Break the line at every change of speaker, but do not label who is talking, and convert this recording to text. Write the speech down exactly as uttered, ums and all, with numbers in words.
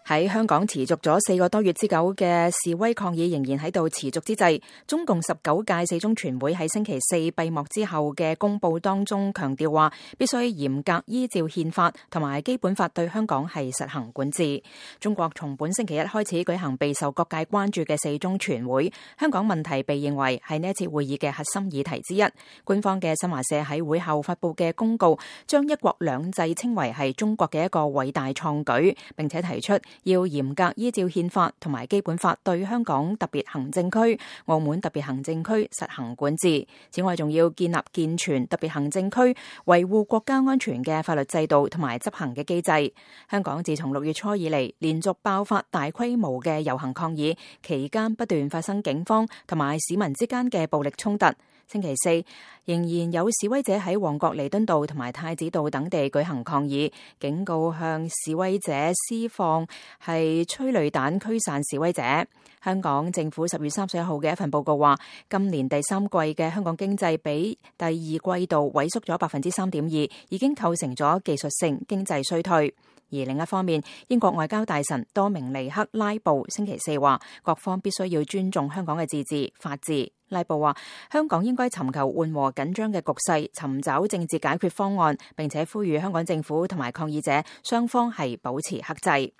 喺香港持續咗四個多月之久嘅示威抗議仍然喺度持續之際，中共十九屆四中全會喺星期四閉幕之後嘅公佈當中強調話，必須嚴格依照憲法同埋基本法對香港係實行管治。中國從本星期一開始舉行備受各界關注嘅四中全會，香港問題被認為係呢一次會議嘅核心議題之一。官方嘅新華社喺會後發佈嘅公告，將一國兩制稱為係中國嘅一個偉大創舉，並且提出要嚴格依照憲法同埋基本法對香港特別行政區、澳門特別行政區實行管治。此外，仲要建立健全特別行政區維護國家安全嘅法律制度同埋執行嘅機制。香港自從六月初以嚟，連續爆發大規模嘅遊行抗議，期間不斷發生警方同埋市民之間嘅暴力衝突。星期四仍然有示威者喺旺角彌敦道同埋太子道等地舉行抗議，警告向示威者施放係催淚彈驅散示威者。香港政府十月三十一號嘅一份報告話，今年第三季嘅香港經濟比第二季度萎縮咗百分之三點二，已經構成咗技術性經濟衰退。而另一方面，英國外交大臣多明尼克拉布星期四話，各方必須要尊重香港嘅自治、法治。拉布話，香港應該尋求緩和緊張嘅局勢，尋找政治解決方案，並且呼籲香港政府同埋抗議者雙方係保持克制。